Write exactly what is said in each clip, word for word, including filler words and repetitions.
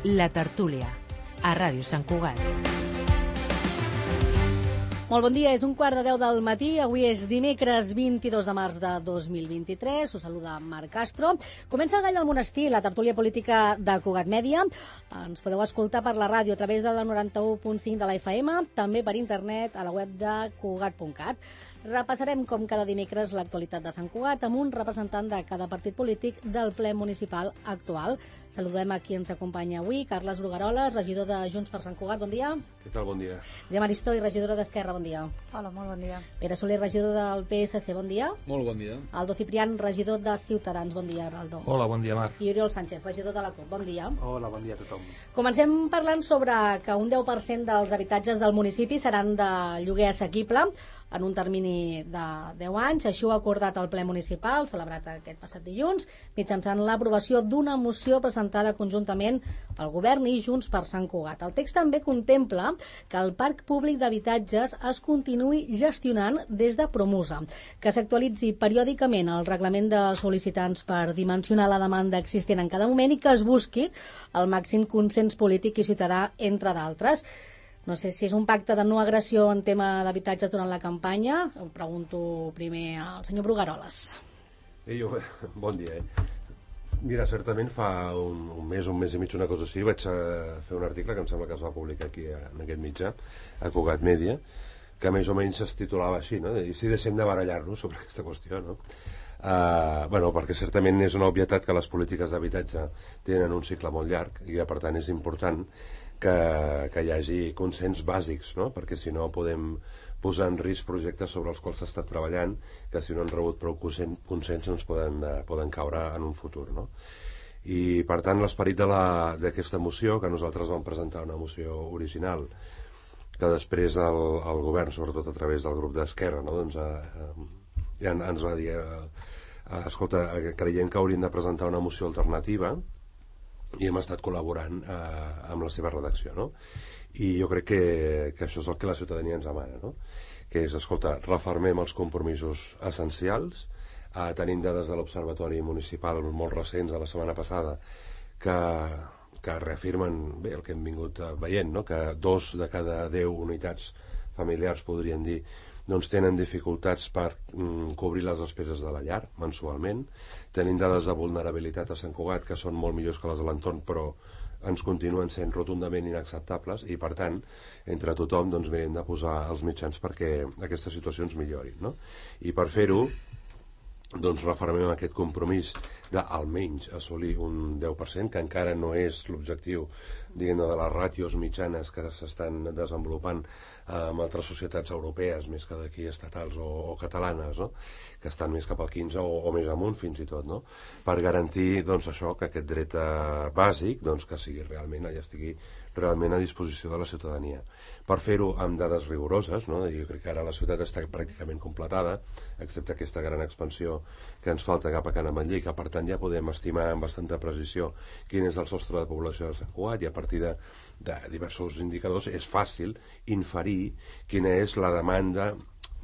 La Tertúlia, a Ràdio Sant Cugat. Molt bon dia, és un quart de deu del matí, avui és dimecres vint-i-dos de març de dos mil vint-i-tres, us saluda Marc Castro. Comença el Gall del Monestir, la tertúlia política de Cugat Mèdia. Ens podeu escoltar per la ràdio a través de la noranta-u punt cinc de la F M, també per internet a la web de cugat punt cat. Repassarem, com cada dimecres, l'actualitat de Sant Cugat amb un representant de cada partit polític del ple municipal actual. Saludem a qui ens acompanya avui, Carles Brugaroles, regidor de Junts per Sant Cugat, bon dia. Què tal, bon dia. Gemma Aristoi, regidora d'Esquerra, bon dia. Hola, molt bon dia. Pere Soler, regidor del P S C, bon dia. Molt bon dia. Aldo Ciprián, regidor de Ciutadans, bon dia, Aldo. Hola, bon dia, Marc. I Oriol Sánchez, regidor de la CUP, bon dia. Hola, bon dia a tothom. Comencem parlant sobre que un deu per cent dels habitatges del municipi seran de lloguer assequible en un termini de deu anys. Així ho ha acordat el ple municipal, celebrat aquest passat dilluns, mitjançant l'aprovació d'una moció presentada conjuntament pel Govern i Junts per Sant Cugat. El text també contempla que el parc públic d'habitatges es continuï gestionant des de Promusa, que s'actualitzi periòdicament el reglament de sol·licitants per dimensionar la demanda existent en cada moment i que es busqui el màxim consens polític i ciutadà, entre d'altres. No sé si és un pacte de no agressió en tema d'habitatges durant la campanya. Ho pregunto primer al senyor Brugaroles. Eh, jo, bon dia, eh? Mira, certament fa un, un mes, un mes i mig, una cosa així, vaig a fer un article que em sembla que es va publicar aquí en aquest mitjà, a Cugat Mèdia, que més o menys es titulava així, no? I si deixem de barallar-nos sobre aquesta qüestió, no? Uh, bueno, perquè certament és una obvietat que les polítiques d'habitatge tenen un cicle molt llarg i que per tant és important que, que hi hagi consens bàsics, no? Perquè si no podem posar en risc projectes sobre els quals s'ha estat treballant que si no han rebut prou consens ens poden, uh, poden caure en un futur, no? I per tant l'esperit d'aquesta moció, que nosaltres vam presentar una moció original que després el, el govern, sobretot a través del grup d'Esquerra, no? Doncs, uh, ja ens va dir uh, uh, escolta, creiem que hauríem de presentar una moció alternativa i hem estat col·laborant eh, amb la seva redacció, no? I jo crec que, que això és el que la ciutadania ens demana, no? Que és, escolta, refermem els compromisos essencials, eh, tenim dades de l'Observatori Municipal molt recents de la setmana passada que, que reafirmen bé el que hem vingut veient, no? Que dos de cada deu unitats familiars, podrien dir, doncs tenen dificultats per mm, cobrir les despeses de la llar mensualment. Tenim dades de vulnerabilitat a Sant Cugat que són molt millors que les de l'entorn, però ens continuen sent rotundament inacceptables i, per tant, entre tothom doncs, hem de posar els mitjans perquè aquestes situacions millorin, no? I per fer-ho, doncs refermem aquest compromís d'almenys assolir un deu per cent, que encara no és l'objectiu, diguem-ne, de les ràtios mitjanes que s'estan desenvolupant amb altres societats europees, més que d'aquí estatals o, o catalanes, no? Que estan més cap al quinze o, o més amunt fins i tot, no? Per garantir doncs, això, que aquest dret eh, bàsic doncs, que sigui realment, ja estigui realment a disposició de la ciutadania. Per fer-ho amb dades rigoroses, no? Jo crec que ara la ciutat està pràcticament completada, excepte aquesta gran expansió que ens falta cap a Can Ametller, que per tant ja podem estimar amb bastanta precisió quin és el sostre de població de Sant Cugat i a partir de, de diversos indicadors és fàcil inferir quina és la demanda,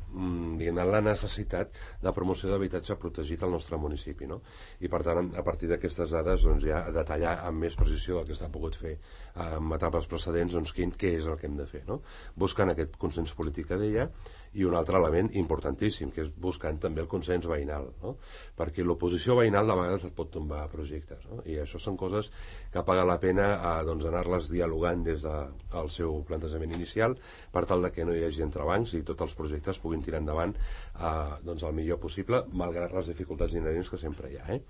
diguem, la necessitat de promoció d'habitatge protegit al nostre municipi, no? I per tant, a partir d'aquestes dades doncs, ja detallar amb més precisió el que s'ha pogut fer en etapes precedents, doncs quin, què és el que hem de fer, no? Buscant aquest consens polític que deia, i un altre element importantíssim, que és buscant també el consens veïnal, no? Perquè l'oposició veïnal de vegades et pot tombar projectes, no? I això són coses que paga la pena eh, doncs, anar-les dialogant des del seu plantejament inicial per tal de que no hi hagi entrebancs i tots els projectes puguin tirar endavant eh, doncs, el millor possible, malgrat les dificultats inherents que sempre hi ha, eh?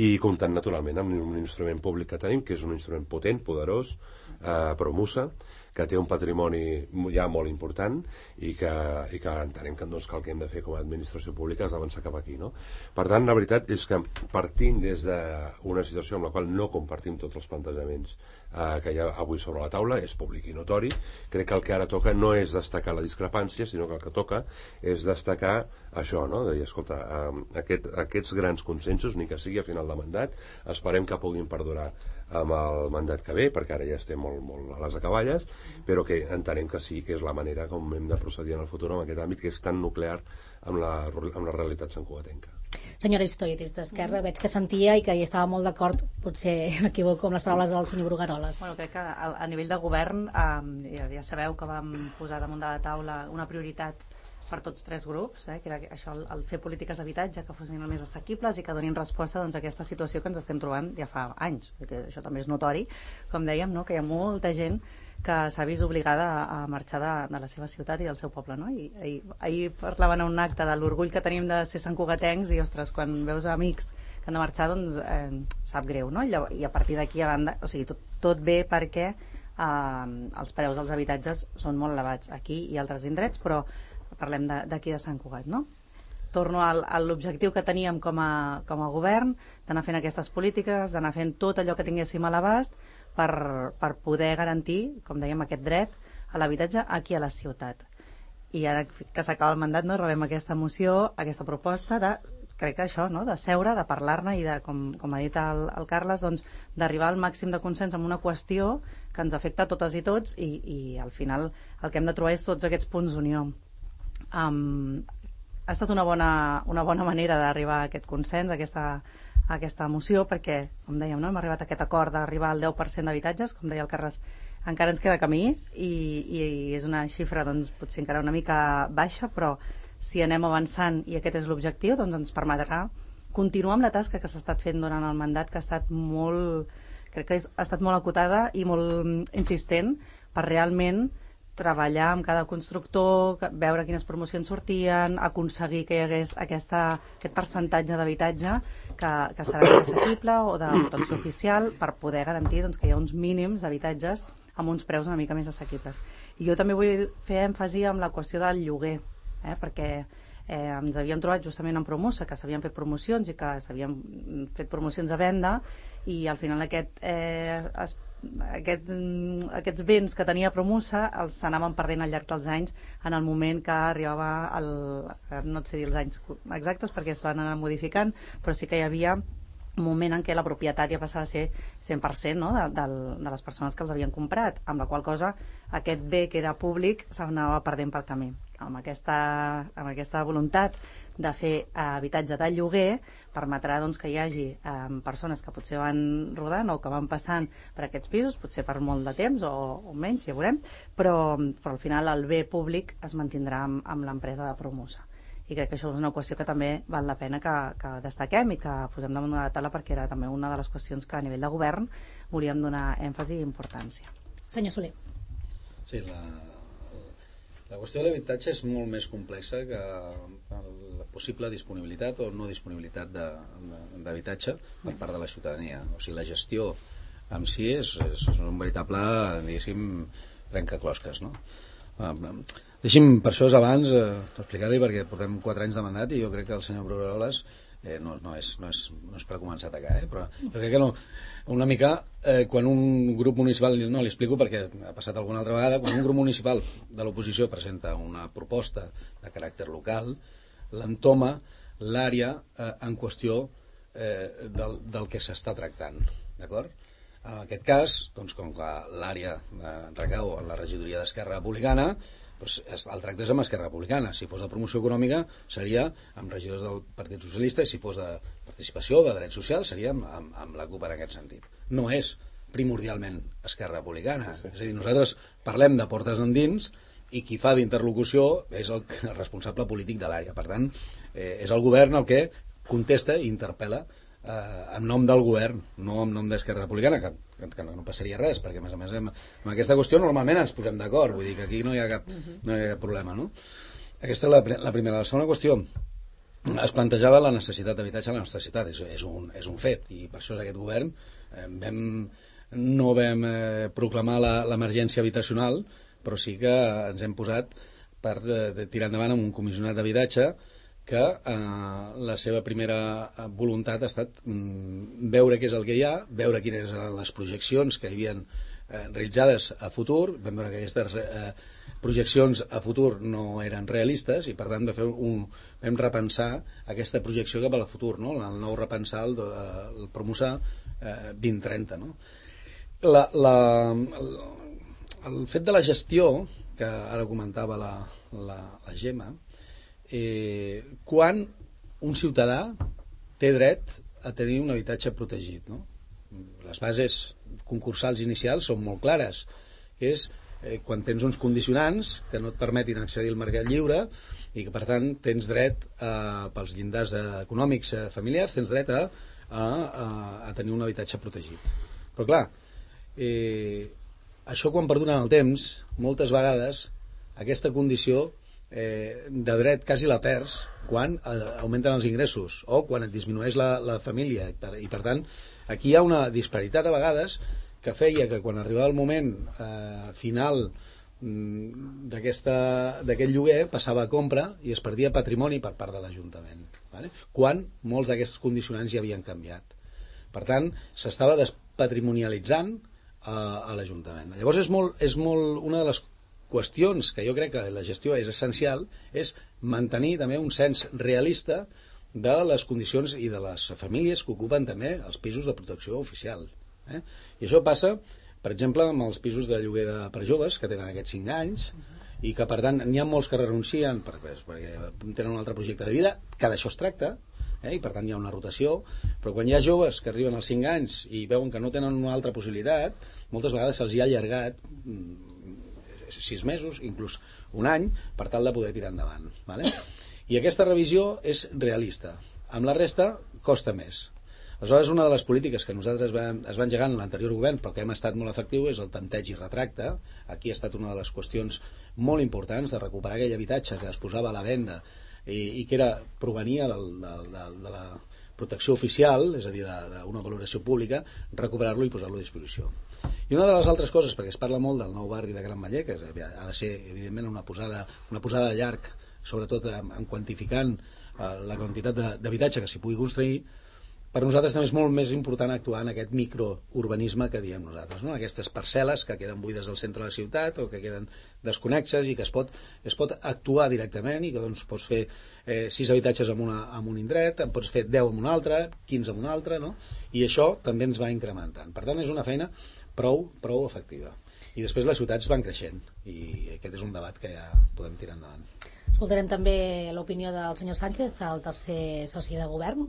I comptant naturalment amb un instrument públic que tenim, que és un instrument potent, poderós, eh, Promusa, que té un patrimoni ja molt important i que, i que entenem que, doncs, que el que hem de fer com a administració pública és avançar cap aquí, no? Per tant, la veritat és que partint des d'una situació amb la qual no compartim tots els plantejaments eh, que hi ha avui sobre la taula, és públic i notori, crec que el que ara toca no és destacar la discrepància, sinó que el que toca és destacar això, no? De dir, escolta, eh, aquest, aquests grans consensos, ni que sigui a final de mandat, esperem que puguin perdurar amb el mandat que ve, perquè ara ja estem molt, molt a les acaballes, però que entenem que sí que és la manera com hem de procedir en el futur en aquest àmbit que és tan nuclear amb la, amb la realitat santcugatenca. Senyora Istoidis, d'Esquerra, veig que sentia i que hi estava molt d'acord, potser m'equivoco amb les paraules del senyor Brugueroles. Bueno, crec que a, a nivell de govern eh, ja, ja sabeu que vam posar damunt de la taula una prioritat per tots tres grups, eh, que era això, el, el fer polítiques d'habitatge que fossin el més assequibles i que donin resposta doncs, a aquesta situació que ens estem trobant ja fa anys, perquè això també és notori, com dèiem, no? Que hi ha molta gent que s'ha vist obligada a, a marxar de, de la seva ciutat i del seu poble, no? I ahir, ahir parlaven a un acte de l'orgull que tenim de ser santcugatencs i, ostres, quan veus amics que han de marxar, doncs eh, sap greu, no? I, I a partir d'aquí a banda, o sigui, tot, tot bé perquè eh, els preus dels habitatges són molt elevats aquí i altres indrets, però parlem d'aquí de, de Sant Cugat, no? Torno al, a l'objectiu que teníem com a, com a govern, d'anar fent aquestes polítiques, d'anar fent tot allò que tinguéssim a l'abast per, per poder garantir, com dèiem, aquest dret a l'habitatge aquí a la ciutat. I ara que s'acaba el mandat, no, rebem aquesta moció, aquesta proposta de, crec que això, no, de seure, de parlar-ne i de, com, com ha dit el, el Carles, doncs, d'arribar al màxim de consens amb una qüestió que ens afecta a totes i tots i, i al final el que hem de trobar és tots aquests punts d'unió. Um, ha estat una bona, una bona manera d'arribar a aquest consens, a aquesta, a aquesta moció, perquè, com dèiem, no, hem arribat a aquest acord d'arribar al deu per cent d'habitatges, com deia el Carles, encara ens queda camí i, i és una xifra doncs, potser encara una mica baixa, però si anem avançant i aquest és l'objectiu, doncs ens permetrà continuar amb la tasca que s'ha estat fent durant el mandat, que ha estat molt, crec que ha estat molt acotada i molt insistent per realment treballar amb cada constructor, veure quines promocions sortien, aconseguir que hi hagués aquesta, aquest percentatge d'habitatge que, que serà més assequible o de protecció oficial per poder garantir doncs, que hi ha uns mínims d'habitatges amb uns preus una mica més assequibles. I jo també vull fer èmfasi amb la qüestió del lloguer, eh, perquè eh, ens havíem trobat justament en Promosa, que s'havien fet promocions i que s'havien fet promocions a venda i al final aquest eh, es Aquest, aquests béns que tenia Promosa els s'anaven perdent al llarg dels anys en el moment que arribava el, no et sé dir els anys exactes perquè es van anar modificant, però sí que hi havia un moment en què la propietat ja passava a ser cent per cent, no? de, de, de les persones que els havien comprat, amb la qual cosa aquest bé que era públic s'anava perdent pel camí. Amb aquesta, amb aquesta voluntat de fer eh, habitatge de lloguer permetrà doncs, que hi hagi eh, persones que potser van rodant o que van passant per aquests pisos, potser per molt de temps o, o menys, ja veurem, però, però al final el bé públic es mantindrà amb, amb l'empresa de Promosa. I crec que això és una qüestió que també val la pena que, que destaquem i que posem damunt de la taula perquè era també una de les qüestions que a nivell de govern volíem donar èmfasi i importància. Senyor Soler. Sí, la, la qüestió de l'habitatge és molt més complexa que la possible disponibilitat o no disponibilitat d'habitatge per part de la ciutadania. O sigui, la gestió en si és, és un veritable, diguéssim, trencaclosques, no? Deixi'm, per això és abans, eh, explicar-li, perquè portem quatre anys de mandat i jo crec que el senyor Brugueroles eh, no, no, és, no, és, no és per començar a atacar, eh, però jo crec que no, una mica eh, quan un grup municipal, no li explico perquè ha passat alguna altra vegada, quan un grup municipal de l'oposició presenta una proposta de caràcter local, l'entoma l'àrea eh, en qüestió eh, del, del que s'està tractant, d'acord? En aquest cas, doncs, com que l'àrea eh, recau en la regidoria d'Esquerra Republicana, doncs el tracte és amb Esquerra Republicana. Si fos de promoció econòmica seria amb regidors del Partit Socialista i si fos de participació, de drets socials, seria amb, amb, amb la CUP en aquest sentit. No és primordialment Esquerra Republicana. Sí, sí. És a dir, nosaltres parlem de portes endins i qui fa d'interlocució és el, el responsable polític de l'àrea. Per tant, eh, és el govern el que contesta i interpel·la eh, en nom del govern, no en nom d'Esquerra Republicana, que, que no, no passaria res, perquè a més a més en, en aquesta qüestió normalment ens posem d'acord, vull dir que aquí no hi ha cap, no hi ha cap problema, no? Aquesta és la, la primera. La segona qüestió, es plantejava la necessitat d'habitatge a la nostra ciutat, és, és, un, és un fet, i per això és aquest govern eh, vam, no vam eh, proclamar l'emergència habitacional, però sí que ens hem posat per eh, tirar endavant amb un comissionat d'habitatge que eh, la seva primera voluntat ha estat mm, veure què és el que hi ha, veure quines eren les projeccions que hi havia eh, realitzades a futur, vam veure que aquestes eh, projeccions a futur no eren realistes i per tant vam, fer un, vam repensar aquesta projecció cap al futur, no? El nou repensar el, el Promosa eh, vint trenta, no? La, la, el, el fet de la gestió que ara comentava la, la, la Gemma, eh, quan un ciutadà té dret a tenir un habitatge protegit, no? Les bases concursals inicials són molt clares. És eh, quan tens uns condicionants que no et permetin accedir al mercat lliure i que, per tant, tens dret a, pels llindars econòmics eh, familiars, tens dret a, a, a, a tenir un habitatge protegit. Però, clar, eh, això quan perdura en el temps, moltes vegades aquesta condició eh, de dret quasi la perds quan eh, augmenten els ingressos o quan et disminueix la, la família. I per, i, per tant, aquí hi ha una disparitat a vegades que feia que quan arribava el moment eh, final d'aquest lloguer passava a compra i es perdia patrimoni per part de l'Ajuntament, vale? Quan molts d'aquests condicionants ja havien canviat. Per tant, s'estava despatrimonialitzant a, a l'Ajuntament. Llavors és molt, és molt una de les qüestions que jo crec que la gestió és essencial, és mantenir també un cens realista de les condicions i de les famílies que ocupen també els pisos de protecció oficial. Eh? I això passa, per exemple, amb els pisos de lloguer de, per joves que tenen aquests cinc anys i que, per tant, n'hi ha molts que renuncien perquè, perquè tenen un altre projecte de vida, que d'això es tracta, eh? I per tant hi ha una rotació, però quan hi ha joves que arriben als cinc anys i veuen que no tenen una altra possibilitat, moltes vegades se'ls hi ha allargat sis mesos, inclús un any, per tal de poder tirar endavant. Vale? I aquesta revisió és realista. Amb la resta costa més. Aleshores, una de les polítiques que nosaltres vam, es va engegar en l'anterior govern, però que hem estat molt efectiu, és el tanteig i retracte. Aquí ha estat una de les qüestions molt importants de recuperar aquell habitatge que es posava a la venda i, i que era, provenia del, del, del, de la protecció oficial, és a dir, d'una valoració pública, recuperar-lo i posar-lo a disposició. I una de les altres coses, perquè es parla molt del nou barri de Gran Maller, que ha de ser, evidentment, una posada, una posada de llarg, sobretot en, en quantificant eh, la quantitat d'habitatge que s'hi pugui construir. Per nosaltres també és molt més important actuar en aquest microurbanisme que diem nosaltres, no? Aquestes parcel·les que queden buides al centre de la ciutat o que queden desconnexes i que es pot, es pot actuar directament i que doncs, pots fer eh, sis habitatges en, una, en un indret, en pots fer deu en un altre, quinze en un altre, no? I això també ens va incrementant. Per tant, és una feina prou, prou efectiva. I després les ciutats van creixent i aquest és un debat que ja podem tirar endavant. Escoltarem també l'opinió del senyor Sánchez, el tercer soci de govern,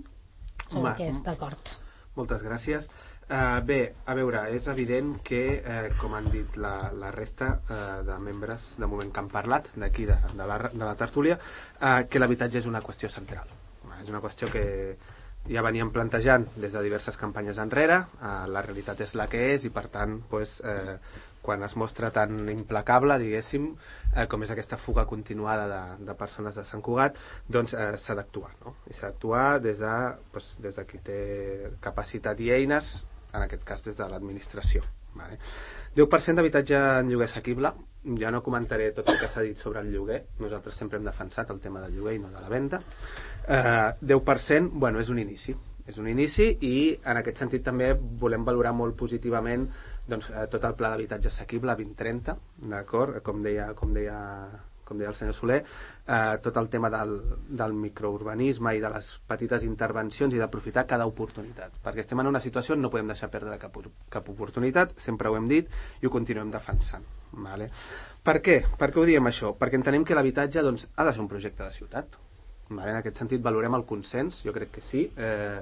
sobre aquest acord. Moltes gràcies. Uh, bé, a veure, és evident que, uh, com han dit la, la resta uh, de membres de moment que han parlat d'aquí, de, de, la, de la tertúlia, uh, que l'habitatge és una qüestió central. Uh, és una qüestió que ja veníem plantejant des de diverses campanyes enrere, uh, la realitat és la que és i, per tant, pues, uh, quan es mostra tan implacable, diguéssim, eh, com és aquesta fuga continuada de, de persones de Sant Cugat, doncs eh, s'ha d'actuar, no? I s'ha d'actuar des de, doncs, des de qui té capacitat i eines, en aquest cas des de l'administració. Vale? deu per cent d'habitatge en lloguer assequible. Ja no comentaré tot el que s'ha dit sobre el lloguer, nosaltres sempre hem defensat el tema del lloguer i no de la venda. Eh, deu per cent, bueno, és un inici. És un inici i en aquest sentit també volem valorar molt positivament doncs, eh, tot el pla d'habitatge assequible vint trenta, d'acord? Com deia, com deia, com deia el senyor Soler, eh, tot el tema del, del microurbanisme i de les petites intervencions i d'aprofitar cada oportunitat, perquè estem en una situació on no podem deixar perdre cap, cap oportunitat, sempre ho hem dit i ho continuem defensant. Vale? Per què? Per què ho diem això? Perquè entenem que l'habitatge doncs, ha de ser un projecte de ciutat. Vale? En aquest sentit valorem el consens, jo crec que sí. Eh,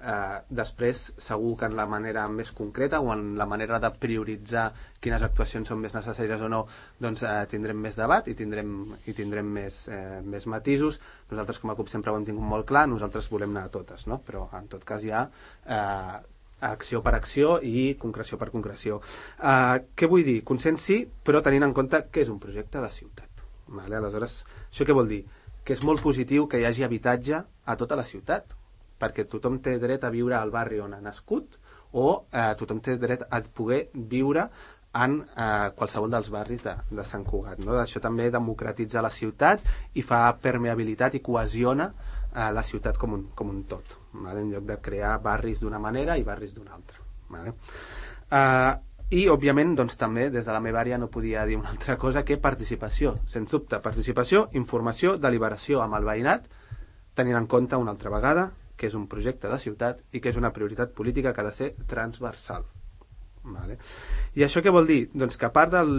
eh, després segur que en la manera més concreta o en la manera de prioritzar quines actuacions són més necessàries o no, doncs eh, tindrem més debat i tindrem, i tindrem més, eh, més matisos. Nosaltres com a CUP sempre ho hem tingut molt clar, nosaltres volem anar a totes, no? Però en tot cas hi ha eh, acció per acció i concreció per concreció. Eh, què vull dir? Consens sí, però tenint en compte que és un projecte de ciutat. Vale? Aleshores, això què vol dir? Que és molt positiu que hi hagi habitatge a tota la ciutat, perquè tothom té dret a viure al barri on ha nascut o eh, tothom té dret a poder viure en eh, qualsevol dels barris de, de Sant Cugat. No? Això també democratitza la ciutat i fa permeabilitat i cohesiona eh, la ciutat com un, com un tot, vale? En lloc de crear barris d'una manera i barris d'una altra. Vale? Eh, I, òbviament, doncs, també, des de la meva àrea no podia dir una altra cosa que participació. Sens dubte, participació, informació, deliberació amb el veïnat, tenint en compte una altra vegada que és un projecte de ciutat i que és una prioritat política que ha de ser transversal. Vale? I això què vol dir? Doncs que a part del,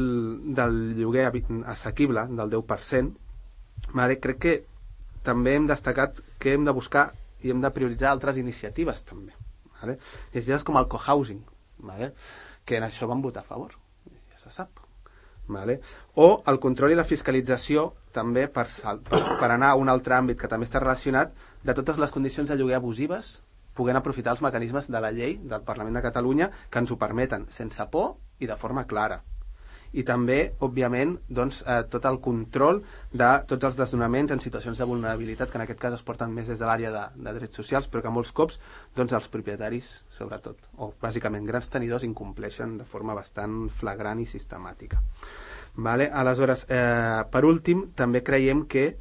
del lloguer assequible, del deu per cent, vale, crec que també hem destacat que hem de buscar i hem de prioritzar altres iniciatives també, vale? Iniciatives com el cohousing, vale? Que en això van votar a favor, ja se sap, vale? O el control i la fiscalització també per, per, per anar a un altre àmbit que també està relacionat, de totes les condicions de lloguer abusives, puguent aprofitar els mecanismes de la llei del Parlament de Catalunya que ens ho permeten, sense por i de forma clara. I també, òbviament, doncs, eh, tot el control de tots els desnonaments en situacions de vulnerabilitat, que en aquest cas es porten més des de l'àrea de, de drets socials, però que molts cops doncs, els propietaris, sobretot, o bàsicament grans tenidors, incompleixen de forma bastant flagrant i sistemàtica. Vale? Aleshores, eh, per últim, també creiem que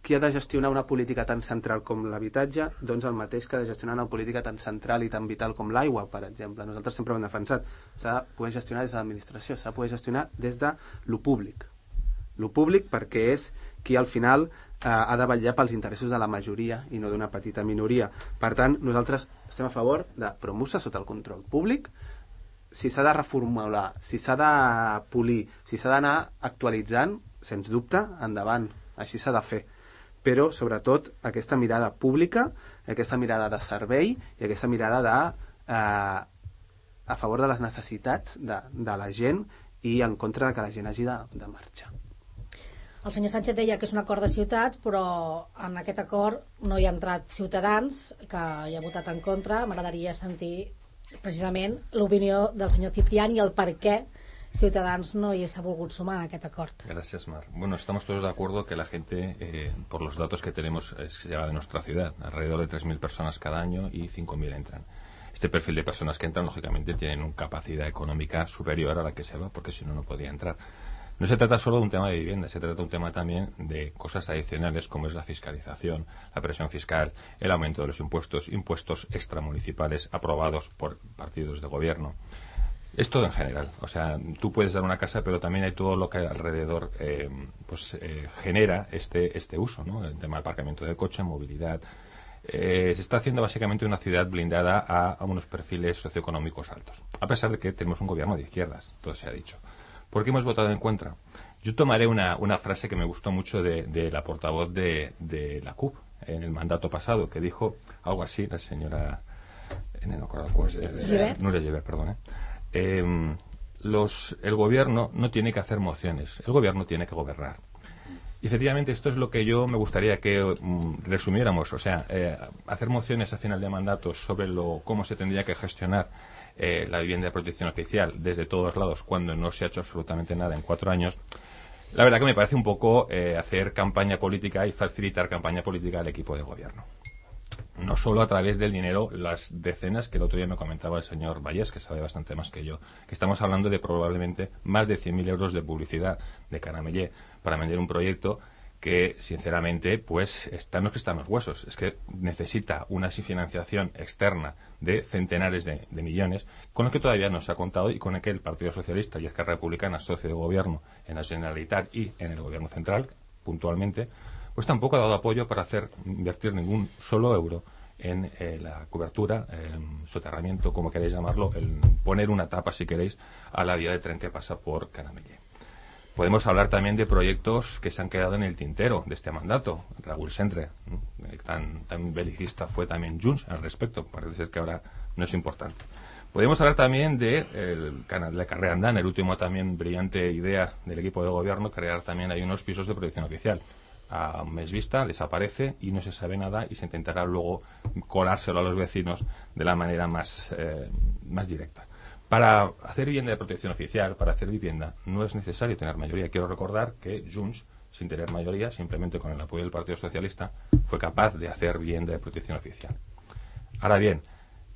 qui ha de gestionar una política tan central com l'habitatge, doncs el mateix que ha de gestionar una política tan central i tan vital com l'aigua, per exemple. Nosaltres sempre ho hem defensat. S'ha de poder gestionar des de l'administració, s'ha de poder gestionar des de lo públic. Lo públic perquè és qui al final eh, ha de vetllar pels interessos de la majoria i no d'una petita minoria. Per tant, nosaltres estem a favor de promoure sota el control públic. Si s'ha de reformular, si s'ha de polir, si s'ha d'anar actualitzant, sens dubte, endavant. Així s'ha de fer. Però, sobretot, aquesta mirada pública, aquesta mirada de servei i aquesta mirada de, eh, a favor de les necessitats de, de la gent i en contra de que la gent hagi de, de marxar. El senyor Sánchez deia que és un acord de ciutat, però en aquest acord no hi ha entrat Ciutadans, que hi ha votat en contra. M'agradaria sentir precisament l'opinió del senyor Ciprián i el per què Ciudadanos no s'ha volgut sumar a aquest acord. Gracias, Mar. Bueno, estamos todos de acuerdo que la gente, eh, por los datos que tenemos, es que llega de nuestra ciudad. Alrededor de tres mil personas cada año y cinco mil entran. Este perfil de personas que entran, lógicamente, tienen una capacidad económica superior a la que se va, porque si no, no podría entrar. No se trata solo de un tema de vivienda, se trata de un tema también de cosas adicionales como es la fiscalización, la presión fiscal, el aumento de los impuestos, impuestos extramunicipales aprobados por partidos de gobierno. Es todo en general. O sea, tú puedes dar una casa, pero también hay todo lo que alrededor eh, pues eh, genera este este uso, ¿no? El tema del aparcamiento de coche, movilidad. Eh, se está haciendo básicamente una ciudad blindada a, a unos perfiles socioeconómicos altos. A pesar de que tenemos un gobierno de izquierdas, todo se ha dicho. ¿Por qué hemos votado en contra? Yo tomaré una, una frase que me gustó mucho de, de la portavoz de, de la C U P en el mandato pasado, que dijo algo así, la señora... No recuerdo cuál es. Nuria Gibert, perdón. ¿eh? Eh, los, el gobierno no tiene que hacer mociones, el gobierno tiene que gobernar. Y efectivamente esto es lo que yo me gustaría que um, resumiéramos, o sea, eh, hacer mociones a final de mandato sobre lo, cómo se tendría que gestionar eh, la vivienda de protección oficial desde todos lados cuando no se ha hecho absolutamente nada en cuatro años. La verdad que me parece un poco eh, hacer campaña política y facilitar campaña política al equipo de gobierno. No solo a través del dinero, las decenas que el otro día me comentaba el señor Vallés, que sabe bastante más que yo, que estamos hablando de probablemente más de cien mil euros de publicidad de Caramellé para vender un proyecto que, sinceramente, pues está, no es que está en los huesos, es que necesita una financiación externa de centenares de, de millones, con el que todavía no se ha contado y con el que el Partido Socialista y Esquerra Republicana, socio de gobierno en la Generalitat y en el gobierno central, puntualmente, pues tampoco ha dado apoyo para hacer invertir ningún solo euro en eh, la cobertura, eh, soterramiento, como queréis llamarlo, el poner una tapa, si queréis, a la vía de tren que pasa por Caramellé. Podemos hablar también de proyectos que se han quedado en el tintero de este mandato. Raúl Sentre, eh, tan, tan belicista fue también Junts al respecto, parece ser que ahora no es importante. Podemos hablar también de el, la carrera andana, el último también brillante idea del equipo de gobierno, crear también hay unos pisos de protección oficial. A un mes vista desaparece y no se sabe nada y se intentará luego colárselo a los vecinos de la manera más, eh, más directa. Para hacer vivienda de protección oficial, para hacer vivienda, no es necesario tener mayoría. Quiero recordar que Junts, sin tener mayoría, simplemente con el apoyo del Partido Socialista, fue capaz de hacer vivienda de protección oficial. Ahora bien,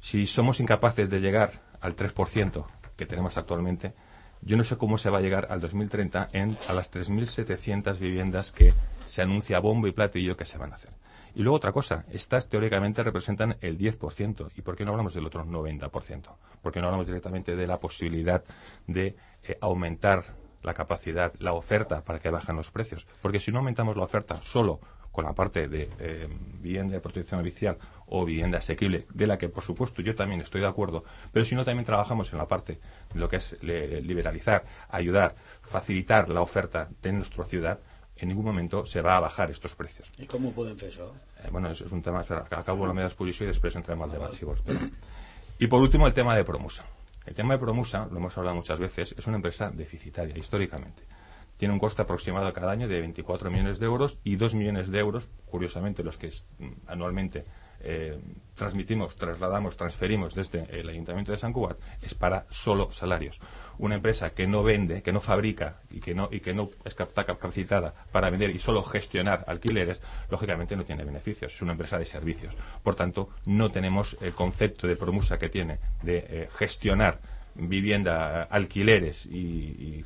si somos incapaces de llegar al tres por ciento que tenemos actualmente, yo no sé cómo se va a llegar al dos mil treinta en, a las tres mil setecientas viviendas que se anuncia bombo y platillo que se van a hacer. Y luego otra cosa, estas teóricamente representan el diez por ciento. ¿Y por qué no hablamos del otro noventa por ciento? ¿Por qué no hablamos directamente de la posibilidad de eh, aumentar la capacidad, la oferta para que bajen los precios? Porque si no aumentamos la oferta solo con la parte de eh, vivienda de protección oficial o vivienda asequible, de la que por supuesto yo también estoy de acuerdo, pero si no también trabajamos en la parte de lo que es le, liberalizar, ayudar, facilitar la oferta de nuestra ciudad, en ningún momento se va a bajar estos precios. I com ho podem fer, això? Eh, bueno, es, es un tema, espera, acabo la meva exposició y después entremos al debate, si vos. Y por último, el tema de Promusa. El tema de Promusa, lo hemos hablado muchas veces, es una empresa deficitaria históricamente. Tiene un coste aproximado cada año de veinticuatro millones de euros y dos millones de euros, curiosamente los que anualmente eh, transmitimos, trasladamos, transferimos desde el Ayuntamiento de Sant Cugat, es para solo salarios. Una empresa que no vende, que no fabrica y que no, y que no está capacitada para vender y solo gestionar alquileres, lógicamente no tiene beneficios, es una empresa de servicios. Por tanto, no tenemos el concepto de Promusa que tiene de eh, gestionar vivienda, alquileres y, y,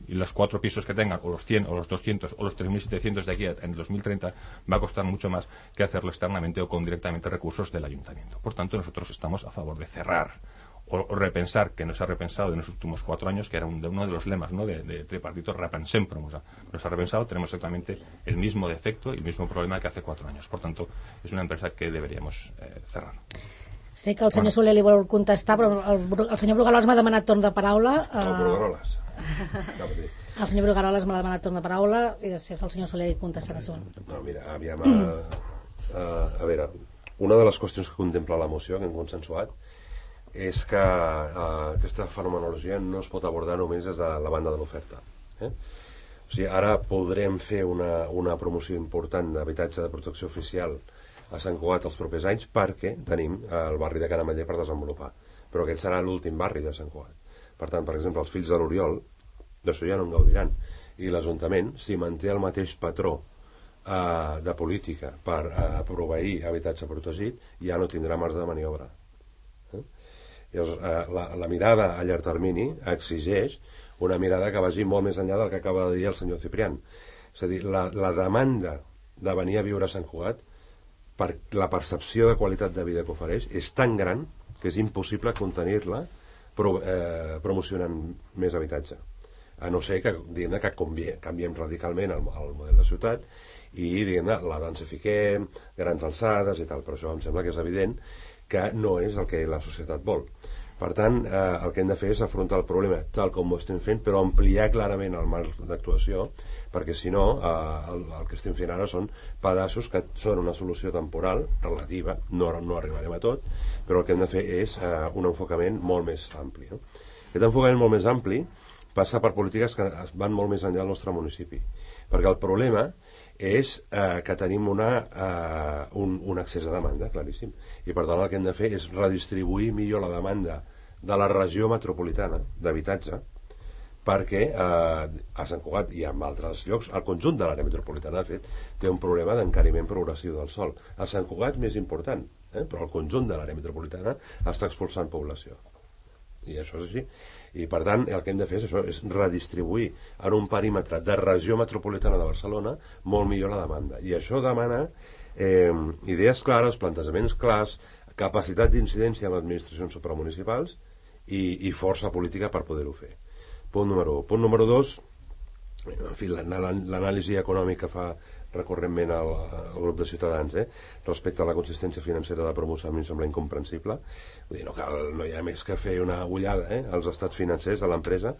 y los cuatro pisos que tengan, o los cien, o los doscientos, o los tres mil setecientos de aquí en el dos mil treinta, va a costar mucho más que hacerlo externamente o con directamente recursos del ayuntamiento. Por tanto, nosotros estamos a favor de cerrar o, o repensar, que no se ha repensado en los últimos cuatro años, que era un, de uno de los lemas, ¿no?, de, de tripartito, repensem Promusa. No se ha repensado, tenemos exactamente el mismo defecto y el mismo problema que hace cuatro años. Por tanto, es una empresa que deberíamos eh, cerrar. Sé que el senyor bueno. Soler li vol contestar, però el, el senyor Brugaroles m'ha demanat torn de paraula. Uh... El Brugaroles. El senyor Brugaroles m'ha demanat torn de paraula i després el senyor Soler contestarà. No, mira, aviam, a, a, a veure, una de les qüestions que contempla la moció que hem consensuat és que a, aquesta fenomenologia no es pot abordar només des de la banda de l'oferta. Eh? O sigui, ara podrem fer una, una promoció important d'habitatge de protecció oficial a Sant Cugat els propers anys perquè tenim el barri de Canamaller per desenvolupar, però aquest serà l'últim barri de Sant Cugat. Per tant, per exemple, els fills de l'Oriol d'això ja no en gaudiran, i l'Ajuntament, si manté el mateix patró eh, de política per eh, proveir habitatge protegit, ja no tindrà marge de maniobra. Eh? Llavors, eh, la, la mirada a llarg termini exigeix una mirada que vagi molt més enllà del que acaba de dir el senyor Ciprián. És a dir, la, la demanda de venir a viure a Sant Cugat per la percepció de qualitat de vida que ofereix és tan gran que és impossible contenir-la pro, eh, promocionant més habitatge, a no ser que, diguem-ne, que canviem, canviem radicalment el, el model de ciutat i, diguem-ne, la densifiquem, grans alçades i tal, però això em sembla que és evident que no és el que la societat vol. Per tant, eh, el que hem de fer és afrontar el problema tal com ho estem fent, però ampliar clarament el marc d'actuació, perquè si no, eh, el, el que estem fent ara són pedaços que són una solució temporal, relativa, no, no arribarem a tot, però el que hem de fer és eh, un enfocament molt més ampli. No? Aquest enfocament molt més ampli passa per polítiques que van molt més enllà del nostre municipi, perquè el problema és eh, que tenim una, eh, un, un excés de demanda, claríssim, i per tant el que hem de fer és redistribuir millor la demanda de la regió metropolitana d'habitatge, perquè eh, a Sant Cugat i en altres llocs, el conjunt de l'àrea metropolitana, de fet, té un problema d'encariment progressiu del sòl. A Sant Cugat més important, eh, però el conjunt de l'àrea metropolitana està expulsant població. I això és així. I per tant el que hem de fer és això, és redistribuir en un perímetre de regió metropolitana de Barcelona molt millor la demanda, i això demana eh, idees clares, plantejaments clars, capacitat d'incidència en les administracions supramunicipals i, i força política per poder-ho fer. Punt número un. Punt número dos, en fi, l'anàlisi econòmica fa recurrentment al, al grup de Ciutadans, eh? respecte a la consistència financera de la promoció, a mi em sembla incomprensible. Vull dir, no, cal, no hi ha més que fer una ullada eh? als estats financers de l'empresa.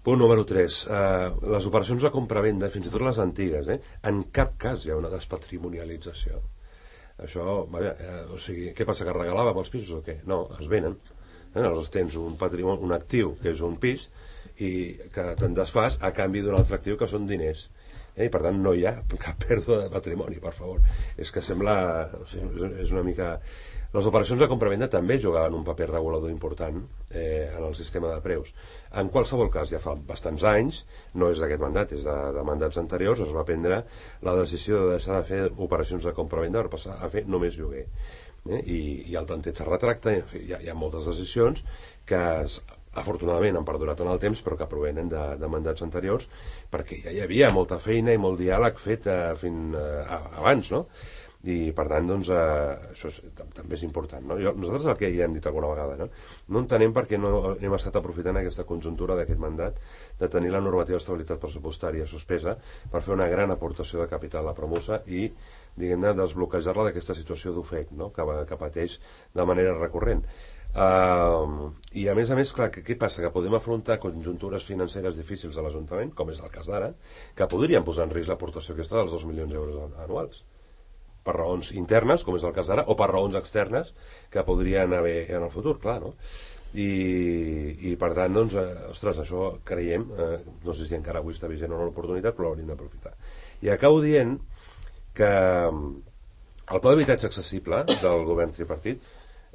Punt número tres, eh, les operacions de compra-venda, fins i tot les antigues, eh? en cap cas hi ha una despatrimonialització. Això, vaja, eh, o sigui, què passa, que regalàvem els pisos o què? No, es venen. Eh? Aleshores tens un patrimoni, un actiu que és un pis i que te'n desfas a canvi d'un altre actiu que són diners. Eh, i per tant no hi ha cap pèrdua de patrimoni, per favor. És que sembla, o sigui, és una mica... Les operacions de compra-venda també jugaven un paper regulador important eh, en el sistema de preus. En qualsevol cas, ja fa bastants anys, no és d'aquest mandat, és de, de mandats anteriors, es va prendre la decisió de deixar de fer operacions de compra-venda per passar a fer només lloguer. Eh, i, i el tanteig es retracta, en fi, hi, ha, hi ha moltes decisions que es, afortunadament han perdurat en el temps, però que provenen de, de mandats anteriors, perquè ja hi havia molta feina i molt diàleg fet eh, fins eh, abans, no? I per tant, doncs, eh, això és, també és important, no? Jo, nosaltres el que ja hem dit alguna vegada, no? No entenem per què no hem estat aprofitant aquesta conjuntura d'aquest mandat de tenir la normativa d'estabilitat pressupostària suspesa per fer una gran aportació de capital a Promosa i, diguem-ne, desbloquejar-la d'aquesta situació d'ofec, no? que, que pateix de manera recurrent. Uh, I a més a més, clar, que, què passa? Que podem afrontar conjuntures financeres difícils a l'Ajuntament, com és el cas d'ara, que podrien posar en risc l'aportació aquesta dels dos milions d'euros anuals, per raons internes, com és el cas d'ara, o per raons externes que podrien haver en el futur, clar, no? I, i per tant, doncs, eh, ostres, això creiem, eh, no sé si encara avui està vigent o no l'oportunitat, però l'hauríem d'aprofitar. I acabo dient que el pla d'habitatge accessible del govern tripartit,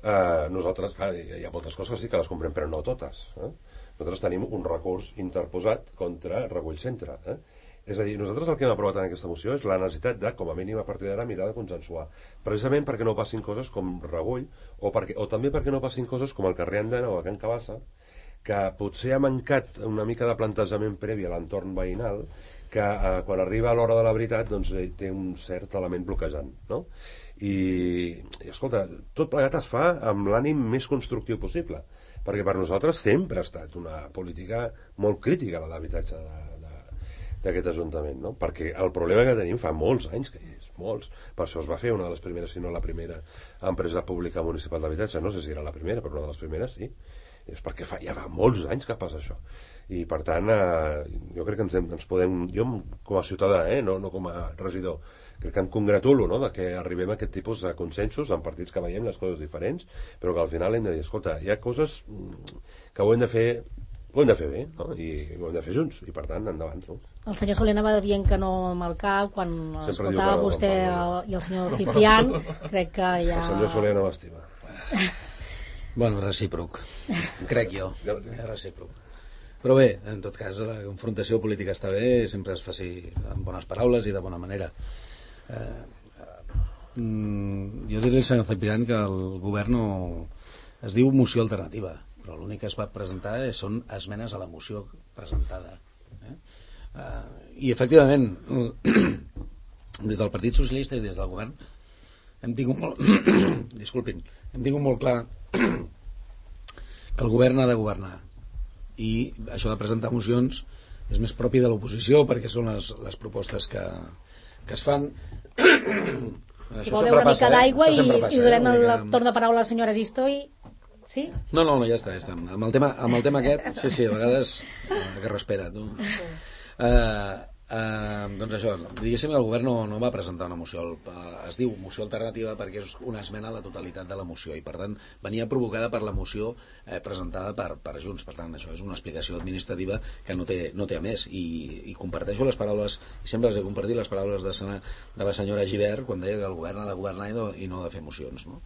eh, nosaltres, clar, hi ha moltes coses que sí que les comprem, però no totes. Eh? Nosaltres tenim un recurs interposat contra Regull Centre. Eh? És a dir, nosaltres el que hem aprovat en aquesta moció és la necessitat de, com a mínim a partir d'ara, mirar de consensuar. Precisament perquè no passin coses com Regull, o, perquè, o també perquè no passin coses com el carrer Andana o a Can Cabassa, que potser ha mancat una mica de plantejament previ a l'entorn veïnal, que eh, quan arriba a l'hora de la veritat doncs, eh, té un cert element bloquejant, no? I, i escolta, tot plegat es fa amb l'ànim més constructiu possible, perquè per nosaltres sempre ha estat una política molt crítica la d'habitatge d'aquest Ajuntament, no? Perquè el problema que tenim fa molts anys que hi és, molts. Per això es va fer una de les primeres, si no la primera empresa pública municipal d'habitatge, no sé si era la primera, però una de les primeres sí. És perquè fa, ja fa molts anys que passa això. I per tant, eh, jo crec que ens, hem, ens podem, jo com a ciutadà, eh, no, no com a regidor, crec que em congratulo, no?, de que arribem a aquest tipus de consensos en partits que veiem les coses diferents, però que al final hem de dir, escolta, hi ha coses que ho hem de fer ho hem de fer bé, no? I ho hem de fer junts, i per tant, endavant, no? El senyor Soler anava dient que no amb el cap quan sempre escoltava no, vostè el, i el senyor Ciprián, crec que ja... El senyor Soler no m'estima. Bueno, recíproc, crec jo, és recíproc. Però bé, en tot cas, la confrontació política està bé, sempre es faci amb bones paraules i de bona manera. Eh, eh, jo diré al senyor Ciprián que el govern no... es diu moció alternativa, però l'únic que es va presentar són esmenes a la moció presentada. Eh? Uh, I efectivament, des del Partit Socialista i des del govern hem tingut molt... disculpin, hem tingut molt clar que el govern ha de governar. I això de presentar mocions és més propi de l'oposició perquè són les, les propostes que, que es fan. Si vol beure una mica d'aigua eh? i, i donem el eh? torn de paraula a la senyora Aristoi. Sí? No, no, no, ja està, ja està. Amb el tema, amb el tema aquest, sí, sí, a vegades eh, que respira, tu. Eh, eh, doncs això, diguéssim, el govern no, no va presentar una moció, es diu moció alternativa perquè és una esmena a la totalitat de la moció i per tant venia provocada per la moció eh, presentada per, per Junts, per tant això és una explicació administrativa que no té, no té a més i, i comparteixo les paraules, i sempre les he compartit les paraules de, sena, de la senyora Gibert quan deia que el govern ha de governar i no, i no ha de fer mocions, no?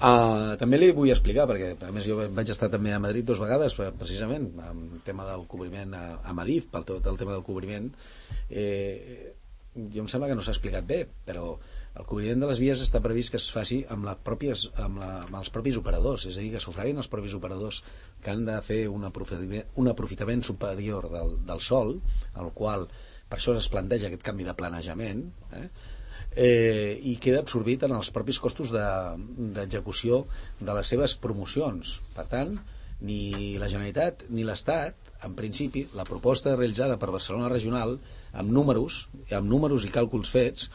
Uh, també li vull explicar perquè a més jo vaig estar també a Madrid dues vegades precisament amb el tema del cobriment a, a Madif, pel tot el tema del cobriment eh, jo em sembla que no s'ha explicat bé però el cobriment de les vies està previst que es faci amb, la pròpies, amb, la, amb els propis operadors, és a dir, que sufraguin els propis operadors que han de fer un aprofitament, un aprofitament superior del, del sòl, al qual per això es planteja aquest canvi de planejament eh? Eh, i queda absorbit en els propis costos d'execució de, de les seves promocions. Per tant, ni la Generalitat ni l'Estat, en principi, la proposta realitzada per Barcelona Regional, amb números, amb números i càlculs fets,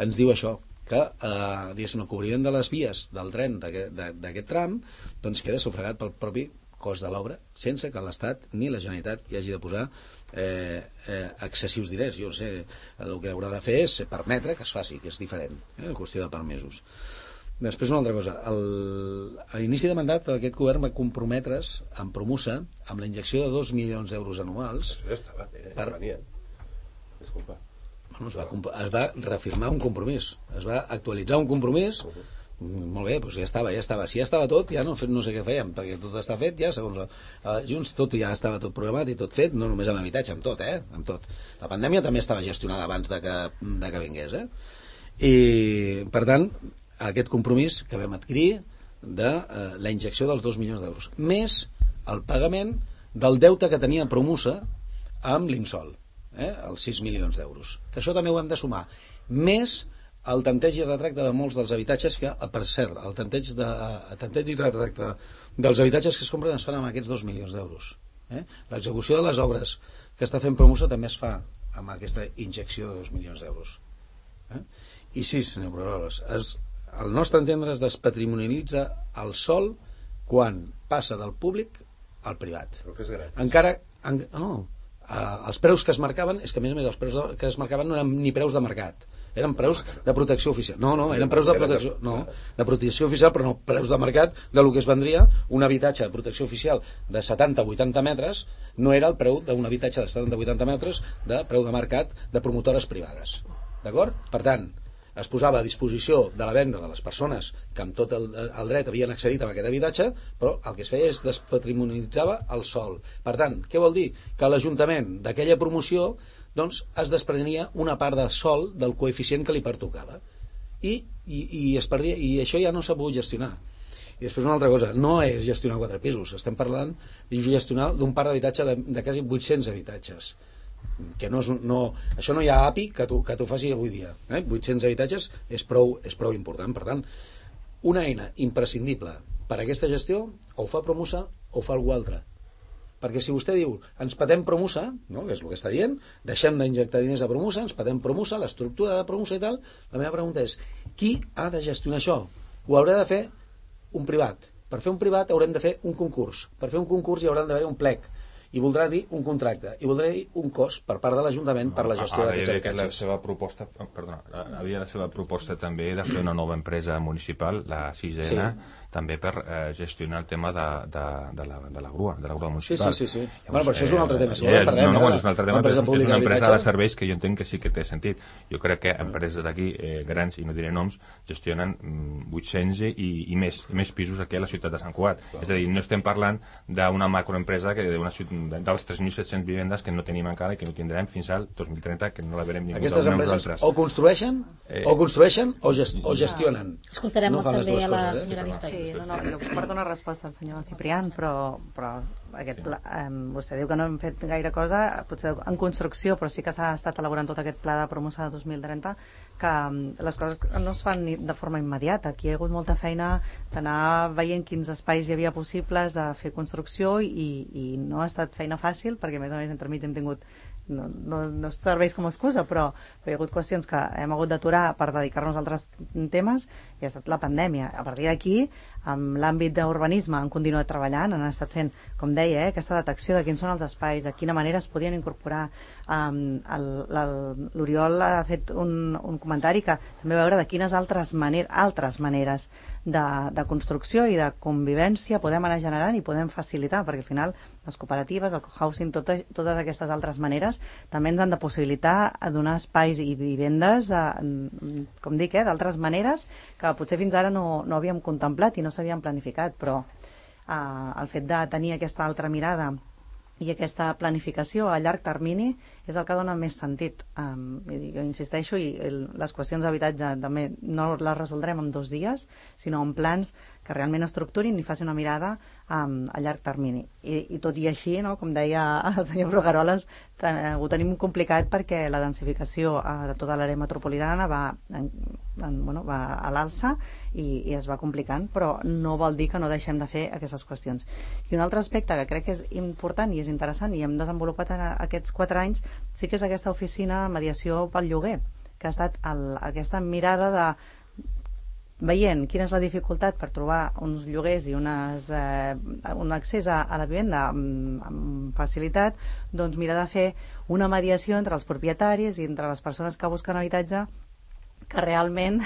ens diu això, que eh, diguéssim, el cobriment de les vies del tren d'aquest tram doncs queda sufragat pel propi cost de l'obra, sense que l'Estat ni la Generalitat hi hagi de posar eh, eh, excessius diners. Jo no sé, el que haurà de fer és permetre que es faci, que és diferent, eh, en qüestió de permesos. Després una altra cosa, el, a l'inici de mandat aquest govern va comprometre's en Promusa amb la injecció de dos milions d'euros anuals. Això ja estava bé, per... venia. Disculpa. Bueno, es, va, es va reafirmar un compromís, es va actualitzar un compromís. Uh-huh. Molt bé, doncs ja estava, ja estava. Si ja estava tot, ja no, no sé què fèiem, perquè tot està fet ja, segons la, uh, Junts, tot ja estava tot programat i tot fet, no només amb habitatge, amb tot, eh? Amb tot. La pandèmia també estava gestionada abans de que, de que vingués, eh? I, per tant, aquest compromís que vam adquirir de uh, la injecció dels dos milions d'euros, més el pagament del deute que tenia Promusa amb l'Insol, eh? Els sis milions d'euros. Que això també ho hem de sumar. Més el tanteig i retracte de molts dels habitatges que, per cert, el tanteig, de, el tanteig i retracte dels habitatges que es compren es fan amb aquests dos milions d'euros. Eh? L'execució de les obres que està fent Promusa també es fa amb aquesta injecció de dos milions d'euros. Eh? I sí, senyor Brunoles, es, el nostre entendre es despatrimonialitza el sòl quan passa del públic al privat. Però que és gratis. Encara... En, no, eh, els preus que es marcaven, és que a més a més els preus de, que es marcaven no eren ni preus de mercat, eren preus de protecció oficial. No, no, eren preus de protecció, no, de protecció oficial, però no preus de mercat de lo que es vendria un habitatge de protecció oficial de setanta a vuitanta metres, no era el preu d'un habitatge de setanta a vuitanta metres de preu de mercat de promotores privades. D'acord? Per tant, es posava a disposició de la venda de les persones que amb tot el, el dret havien accedit a aquest habitatge, però el que es feia és despatrimonialitzava el sòl. Per tant, què vol dir? Que l'Ajuntament d'aquella promoció doncs, es desprenia una part de sòl del coeficient que li pertocava. I, i, i, es perdia, i això ja no s'ha pogut gestionar. I després una altra cosa, no és gestionar quatre pisos, estem parlant de gestionar d'un parc d'habitatge de, de quasi vuit-cents habitatges. Que no és, no, això no hi ha A P I que t'ho que t'ho faci avui dia, eh? vuit-cents habitatges és prou, és prou important. Per tant, una eina imprescindible per a aquesta gestió o ho fa Promusa o ho fa algú altre, perquè si vostè diu ens patem Promusa, no? Que és el que està dient, deixem d'injectar diners a Promusa, ens patem Promusa, l'estructura de Promusa i tal, la meva pregunta és qui ha de gestionar això? Ho haurà de fer un privat. Per fer un privat haurem de fer un concurs, per fer un concurs hi haurà d'haver un plec, i voldrà dir un contracte, i voldrà dir un cost per part de l'Ajuntament per la gestió d'aquests habitatges. La seva proposta, perdona, havia la seva proposta també de fer una nova empresa municipal, la sisena, sí. també per eh, gestionar el tema de, de, de, la, de la grua, de la grua municipal. Sí, sí, sí. sí. Llavors, bueno, però això és un altre tema. Si eh, volem, parlem, no, no, eh, bueno, és un altre tema, però és, és una empresa de serveis que jo entenc que sí que té sentit. Jo crec que empreses d'aquí, eh, grans, i no diré noms, gestionen mm, vuit-cents i, i, més, i més pisos aquí a la ciutat de Sant Cugat. Clar. És a dir, no estem parlant d'una macroempresa que d'una ciutat, dels tres mil set-cents vivendes que no tenim encara i que no tindrem fins al dos mil trenta, que no la verem ningú. Aquestes empreses o construeixen, eh, o construeixen o, gest, o gestionen. Escoltarem no també a la coses, senyora Aristoi. Sí, no, no, jo porto una resposta al senyor Ciprián, però, però aquest pla, eh, vostè diu que no hem fet gaire cosa, potser en construcció, però sí que s'ha estat elaborant tot aquest pla de promoció de dos mil trenta, que les coses no es fan de forma immediata. Aquí hi ha hagut molta feina d'anar veient quins espais hi havia possibles de fer construcció i, i no ha estat feina fàcil, perquè a més a més entremig hem tingut no, no, no serveix com a excusa, però, però hi ha hagut qüestions que hem hagut d'aturar per dedicar-nos a altres temes i ha estat la pandèmia. A partir d'aquí, amb l'àmbit d'urbanisme han continuat treballant, han estat fent, com deia, eh, aquesta detecció de quins són els espais, de quina manera es podien incorporar. Um, l'Oriol ha fet un, un comentari que també veure de quines altres, maner altres maneres de, de construcció i de convivència podem anar generant i podem facilitar, perquè al final les cooperatives, el cohousing, tot, totes aquestes altres maneres també ens han de possibilitar a donar espais i vivendes, a, com dic, eh, d'altres maneres que potser fins ara no, no havíem contemplat i no s'havien planificat, però eh, el fet de tenir aquesta altra mirada i aquesta planificació a llarg termini és el que dona més sentit. Um, jo insisteixo, i el, les qüestions d'habitatge també no les resoldrem en dos dies, sinó en plans que realment estructurin i facin una mirada um, a llarg termini. I, i tot i així, no, com deia el senyor Brugaroles, ho tenim complicat perquè la densificació uh, de tota l'àrea metropolitana va, en, en, bueno, va a l'alça i, i es va complicant, però no vol dir que no deixem de fer aquestes qüestions. I un altre aspecte que crec que és important i és interessant i hem desenvolupat en aquests quatre anys sí que és aquesta oficina de mediació pel lloguer, que ha estat el, aquesta mirada de veient quina és la dificultat per trobar uns lloguers i unes, eh, un accés a, a la vivenda amb, amb facilitat, doncs mirar de fer una mediació entre els propietaris i entre les persones que busquen habitatge que realment...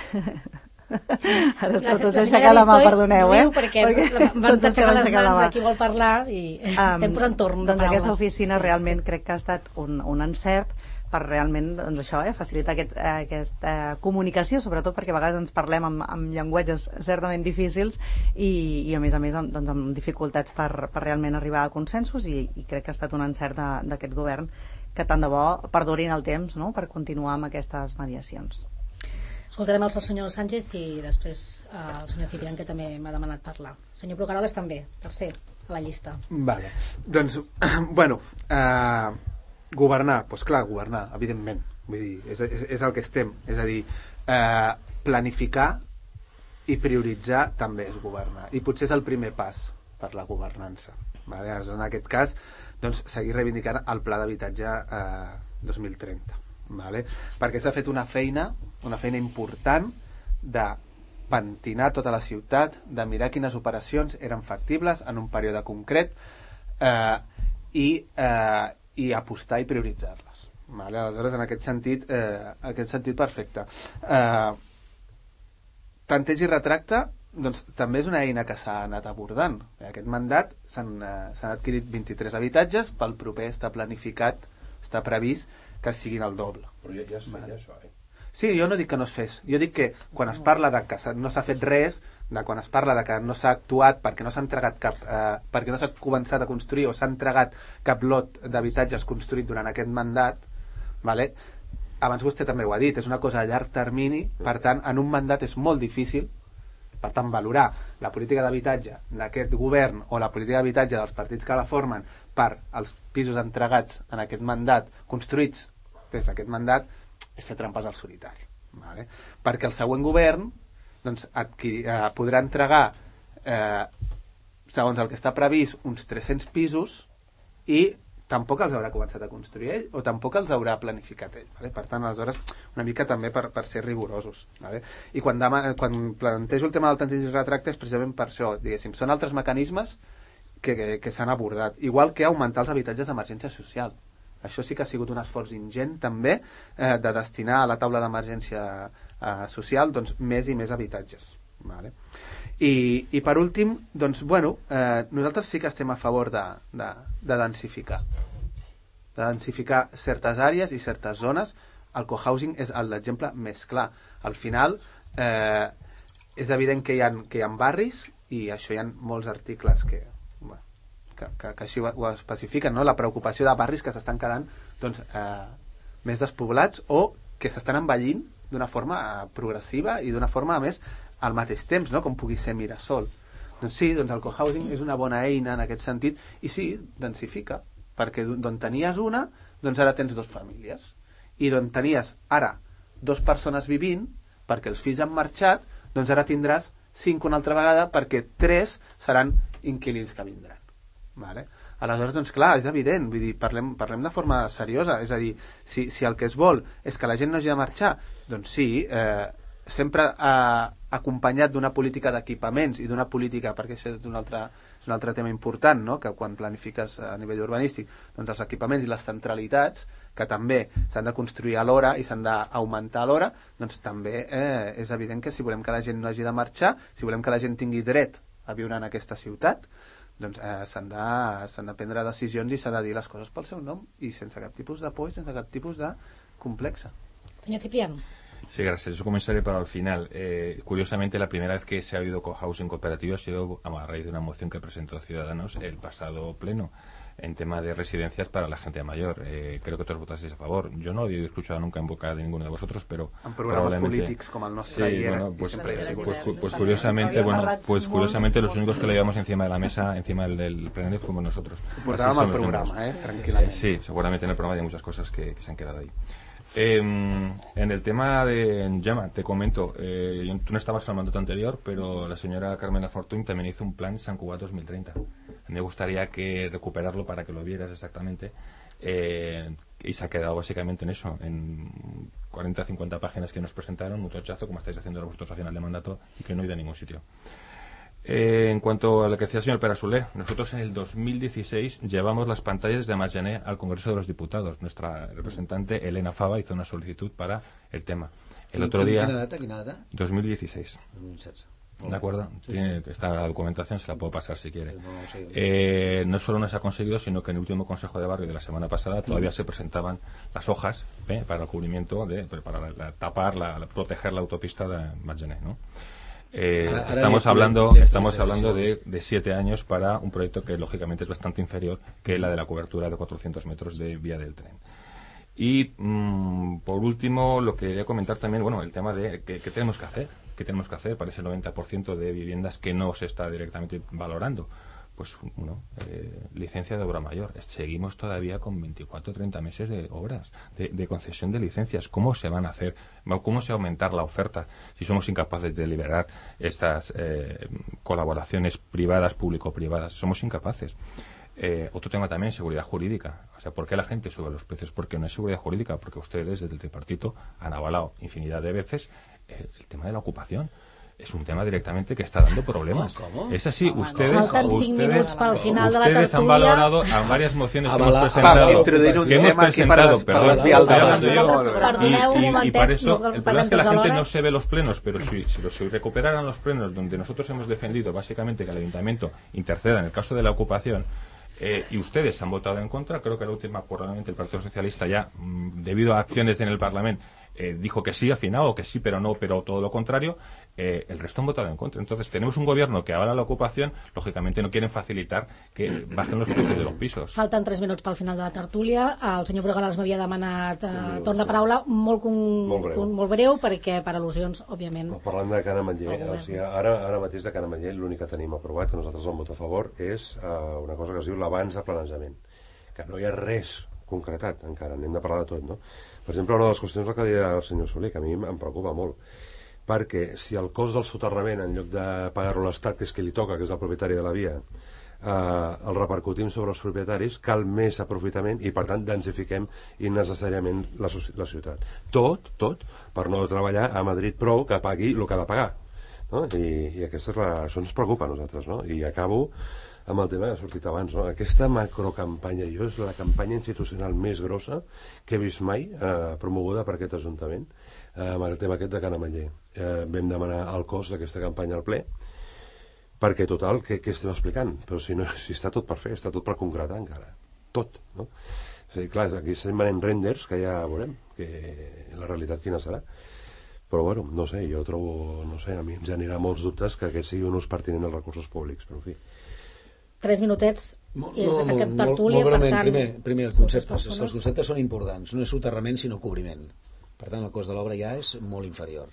Ara la, tots la aixecar la mà, perdoneu, eh? Perquè, perquè van aixecar les mans a qui vol parlar i um, estem per entorn de doncs paraules. Aquesta oficina sí, realment sí. crec que ha estat un, un encert per realment doncs això, eh, facilitar aquest, eh, aquesta comunicació, sobretot perquè a vegades ens parlem amb, amb llenguatges certament difícils i, i a més a més amb, doncs, amb dificultats per, per realment arribar a consensos i, i crec que ha estat un encert d'aquest govern que tant de bo perdurin el temps, no?, per continuar amb aquestes mediacions. Escoltarem el senyor Sánchez i després eh, el senyor Ciprián, que també m'ha demanat parlar. Senyor Brugaroles també, tercer a la llista. Vale. Doncs, bueno, eh, governar, doncs clar, governar, evidentment. Vull dir, és, és, és el que estem. És a dir, eh, planificar i prioritzar també és governar. I potser és el primer pas per la governança. Vale? En aquest cas, doncs, seguir reivindicant el pla d'habitatge eh, dos mil trenta. Vale? Perquè s'ha fet una feina una feina important de pentinar tota la ciutat, de mirar quines operacions eren factibles en un període concret eh, i, eh, i apostar i prioritzar-les. Vale? Aleshores, en aquest sentit, eh, aquest sentit perfecte. Eh, tanteig i retracte, doncs, també és una eina que s'ha anat abordant. Aquest mandat s'han eh, adquirit vint-i-tres habitatges, pel proper està planificat, està previst que siguin el doble. Però ja, ja es feia vale. Això, eh? Sí, jo no dic que no es fes. Jo dic que quan es parla de que no s'ha fet res, de quan es parla de que no s'ha actuat perquè no s'ha entregat cap, eh, perquè no s'ha començat a construir o s'ha entregat cap lot d'habitatges construït durant aquest mandat, vale? Abans vostè també ho ha dit, és una cosa a llarg termini, per tant, en un mandat és molt difícil, per tant, valorar la política d'habitatge d'aquest govern o la política d'habitatge dels partits que la formen per als pisos entregats en aquest mandat, construïts des d'aquest mandat, és fer trampes al solitari. Vale? Perquè el següent govern doncs, adquirir, eh, podrà entregar, eh, segons el que està previst, uns tres-cents pisos i tampoc els haurà començat a construir ell o tampoc els haurà planificat ell. Vale? Per tant, aleshores, una mica també per, per ser rigorosos. Vale? I quan, dema, quan plantejo el tema del tanteig i retracte és precisament per això. Diguéssim, són altres mecanismes que, que, que s'han abordat. Igual que augmentar els habitatges d'emergència social. Això sí que ha sigut un esforç ingent també eh, de destinar a la taula d'emergència eh, social doncs, més i més habitatges. Vale? I, i per últim, doncs, bueno, eh, nosaltres sí que estem a favor de, de, de densificar. De densificar certes àrees i certes zones. El cohousing és l'exemple més clar. Al final, eh, és evident que hi ha, que hi ha barris, i això hi ha molts articles que... Bueno, Que, que, que així ho, ho especifiquen, no? La preocupació de barris que s'estan quedant doncs, eh, més despoblats o que s'estan envellint d'una forma eh, progressiva i d'una forma, a més, al mateix temps, no? Com pugui ser Mirasol. Doncs sí, doncs el cohousing és una bona eina en aquest sentit i sí, densifica, perquè d'on tenies una, doncs ara tens dues famílies. I d'on tenies ara dues persones vivint, perquè els fills han marxat, doncs ara tindràs cinc una altra vegada perquè tres seran inquilins que vindran. Vale? Aleshores, doncs clar, és evident, vull dir, parlem, parlem de forma seriosa, és a dir, si, si el que es vol és que la gent no hagi de marxar, doncs sí, eh, sempre eh, acompanyat d'una política d'equipaments i d'una política, perquè això és un altre, és un altre tema important, no? Que quan planifiques a nivell urbanístic, doncs els equipaments i les centralitats, que també s'han de construir alhora i s'han d'augmentar alhora, doncs també eh, és evident que si volem que la gent no hagi de marxar, si volem que la gent tingui dret a viure en aquesta ciutat, doncs eh, s'han de, s'han de prendre decisions i s'ha de dir les coses pel seu nom i sense cap tipus de por i sense cap tipus de complexa. Señor Cipriano. Sí, gracias. Yo comenzaré para el final. Eh, curiosamente, la primera vez que se ha habido cohousing cooperativo ha sido a raíz de una moción que presentó Ciudadanos el pasado pleno en tema de residencias para la gente mayor. Eh, creo que todos votasteis a favor. Yo no lo he escuchado nunca en boca de ninguno de vosotros, pero en programas políticos como el nuestro. Sí, bueno, pues, pues, pues, pues, pues curiosamente, bueno, pues curiosamente los únicos que lo llevamos encima de la mesa, encima del, del plenario, fuimos nosotros. Programa al programa, eh, tranquilamente. Sí, seguramente en el programa hay muchas cosas que, que se han quedado ahí. Eh, en el tema de Gemma, te comento, eh, yo, tú no estabas en el mandato anterior, pero la señora Carmela Fortuny también hizo un plan San Cugat dos mil treinta. Me gustaría que recuperarlo para que lo vieras exactamente. Eh, y se ha quedado básicamente en eso, en cuarenta a cincuenta páginas que nos presentaron, un tochazo, como estáis haciendo vosotros a final de mandato, y que no ha ido a ningún sitio. Eh, en cuanto a lo que decía el señor Perasolé, nosotros en el dos mil dieciséis llevamos las pantallas de Margené al Congreso de los Diputados. Nuestra representante Elena Fava hizo una solicitud para el tema. El otro día... ¿Qué data? ¿Qué data? dos mil dieciséis. dos mil dieciséis. ¿De acuerdo? Sí, Tiene, sí. Está la documentación, se la puedo pasar si quiere. Sí, no, sí. Eh, no solo no se ha conseguido, sino que en el último Consejo de Barrio de la semana pasada todavía mm. se presentaban las hojas ¿eh? para el cubrimiento, de, para la, la, tapar, la, la, proteger la autopista de Margené, ¿no? Eh, ahora, ahora estamos le, hablando, le, le, estamos le, hablando de, de siete años para un proyecto que lógicamente es bastante inferior que la de la cobertura de cuatrocientos metros de vía del tren. Y mmm, por último, lo que quería comentar también, bueno, el tema de qué tenemos que hacer, qué tenemos que hacer para ese noventa por ciento de viviendas que no se está directamente valorando. Pues, bueno, eh, licencia de obra mayor. Seguimos todavía con veinticuatro o treinta meses de obras, de, de concesión de licencias. ¿Cómo se van a hacer? ¿Cómo se va a aumentar la oferta si somos incapaces de liberar estas eh, colaboraciones privadas, público-privadas? Somos incapaces. Eh, otro tema también, seguridad jurídica. O sea, ¿por qué la gente sube los precios? Porque no hay seguridad jurídica, porque ustedes desde el tripartito han avalado infinidad de veces el, el tema de la ocupación. es un tema directamente que está dando problemas. ¿Cómo? Es así, ¿Cómo? ustedes, Faltan cinc ustedes, minuts pel final de la ustedes han tertúlia. valorado a varias mociones que hemos Avala- presentado, introduir un que hemos tema aquí para presentado, des- perdón, para desviar el estoy debat. hablando yo, Perdoneu un y, y, y momentet, para eso, no el problema parlem es que la tots gente alhora. no se ve los plenos, pero si, si, los- si recuperaran los plenos donde nosotros hemos defendido básicamente que el ayuntamiento interceda en el caso de la ocupación, Eh, y ustedes han votado en contra, creo que la última probablemente el Partido Socialista ya, mmm, debido a acciones en el Parlamento, eh, dijo que sí al final, o que sí pero no, pero todo lo contrario, eh, el resto han votado en contra. Entonces tenemos un gobierno que avala la ocupación, lògicament no quieren facilitar que bajen los precios de los pisos. Falten tres minuts pel final de la tertúlia. El senyor Brugalàs m'havia demanat eh, torn de paraula molt, con, Molt breu. con, molt breu, perquè per al·lusions, òbviament... No, parlant de Can Ametller, El govern. o sigui, ara, ara mateix de Can Ametller l'únic que tenim aprovat, que nosaltres vam votar a favor, és uh, una cosa que es diu l'abans de planejament, que no hi ha res concretat encara, n'hem de parlar de tot, no? Per exemple, una de les qüestions que deia el senyor Soler, que a mi em preocupa molt, perquè si el cost del soterrament, en lloc de pagar-lo l'Estat, que és qui li toca, que és el propietari de la via, eh, el repercutim sobre els propietaris, cal més aprofitament i, per tant, densifiquem innecessàriament la, la ciutat. Tot, tot, per no treballar a Madrid prou que pagui el que ha de pagar. No? I, i aquesta és la, això ens preocupa a nosaltres, no? I acabo amb el tema que ha sortit abans, no? Aquesta macrocampanya, jo és la campanya institucional més grossa que he vist mai, eh, promoguda per aquest Ajuntament, eh, amb el tema aquest de Can Ametller. Eh, vam demanar el cost d'aquesta campanya al ple, perquè total, què, què estem explicant? Però si, no, si està tot per fer, està tot per concretar encara. Tot, no? És a dir, clar, aquí estem venent renders que ja veurem, que la realitat quina serà. Però bueno, no sé, jo trobo, no sé, a mi em generarà molts dubtes que aquest sigui un ús pertinent dels recursos públics, però en fi. Tres minutets Molt, i no, aquest molt, tertúlia, molt breument, per tant... primer, primer els conceptes. persones. Els conceptes són importants. No és soterrament, sinó cobriment. Per tant, el cost de l'obra ja és molt inferior.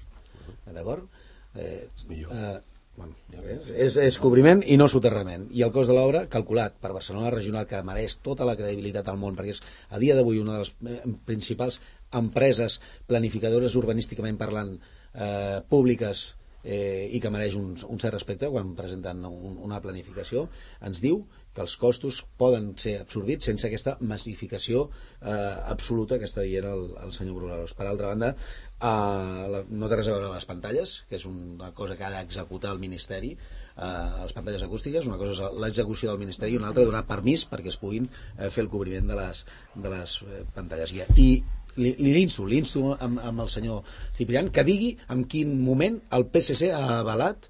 D'acord? Eh, Millor. Eh, bueno, eh, és, és cobriment i no soterrament. I el cost de l'obra, calculat per Barcelona Regional, que mereix tota la credibilitat al món, perquè és a dia d'avui una de les eh, principals empreses planificadores urbanísticament parlant eh, públiques eh, i que mereix un, un cert respecte quan presenten un, una planificació, ens diu que els costos poden ser absorbits sense aquesta massificació eh, absoluta que està dient el, el senyor Brugalàs. Per altra banda, eh, la, no té res a veure amb les pantalles, que és una cosa que ha d'executar el Ministeri, eh, les pantalles acústiques, una cosa és l'execució del Ministeri i una altra donar permís perquè es puguin eh, fer el cobriment de les, de les eh, pantalles. I, i l'insto, l'insto amb, amb el senyor Ciprián que digui en quin moment el P S C ha avalat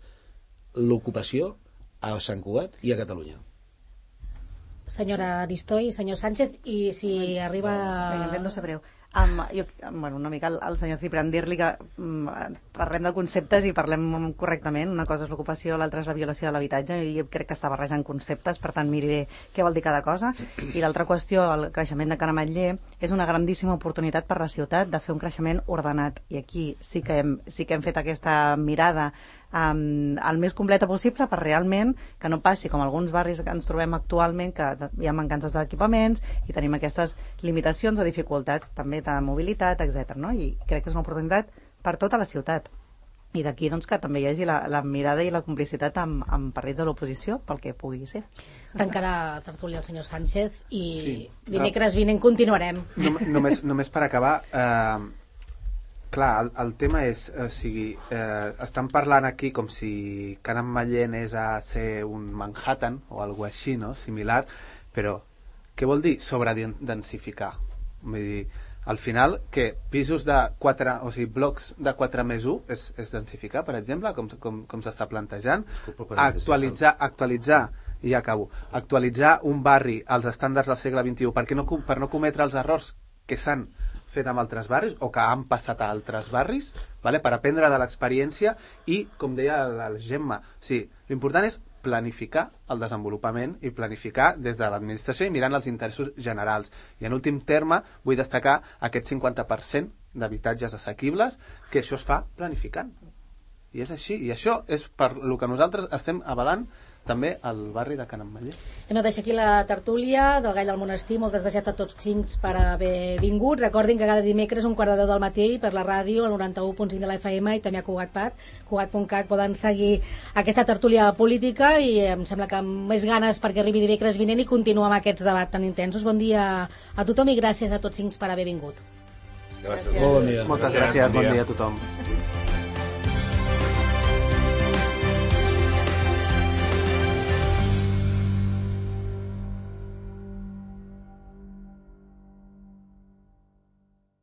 l'ocupació a Sant Cugat i a Catalunya. Senyora Aristoi, senyor Sánchez, i si arriba... Vinga, no sabreu. Um, jo, bueno, una mica al, al senyor Ciprián dir-li que um, parlem de conceptes i parlem correctament. Una cosa és l'ocupació, l'altra és la violació de l'habitatge, i jo crec que està barrejant conceptes, per tant miri bé què vol dir cada cosa. I l'altra qüestió, el creixement de Can Ametller, és una grandíssima oportunitat per la ciutat de fer un creixement ordenat, i aquí sí que hem, sí que hem fet aquesta mirada Um, el més completa possible per realment que no passi com alguns barris que ens trobem actualment, que hi ha mancances d'equipaments i tenim aquestes limitacions o dificultats també de mobilitat, etcètera. No? I crec que és una oportunitat per tota la ciutat. I d'aquí doncs, que també hi hagi la, la mirada i la complicitat amb, amb partits de l'oposició pel que pugui ser. Tancarà tertúlia el senyor Sánchez i Sí. dimecres vinent continuarem. No, només, només per acabar, eh, clar, el, el tema és, o sigui, eh, estan parlant aquí com si Can Ametller anés a ser un Manhattan o alguna així, no?, similar, però què vol dir sobredensificar? Vull dir, al final, que pisos de quatre, o sigui, blocs de quatre més u és, és densificar, per exemple, com, com, com s'està plantejant, actualitzar, actualitzar i ja acabo, actualitzar un barri als estàndards del segle vint-i-u perquè no, per no cometre els errors que s'han fet amb altres barris o que han passat a altres barris, vale? Per aprendre de l'experiència i, com deia la Gemma, sí, l'important és planificar el desenvolupament i planificar des de l'administració i mirant els interessos generals. I en últim terme vull destacar aquest cinquanta per cent d'habitatges assequibles, que això es fa planificant. I és així, i això és per el que nosaltres estem avalant també al barri de Can Ametller. Hem de deixar aquí la tertúlia del Gall del Monestir. Moltes gràcies a tots cinc per haver vingut. Recordin que cada dimecres un quart de deu del matí per la ràdio, al noranta-u punt cinc de la F M i també a Cugat.cat, Cugat punt cat, poden seguir aquesta tertúlia política i em sembla que amb més ganes perquè arribi dimecres vinent i continuar amb aquests debats tan intensos. Bon dia a tothom i gràcies a tots cinc per haver vingut. Gràcies. Bon dia. Moltes gràcies, bon dia a tothom.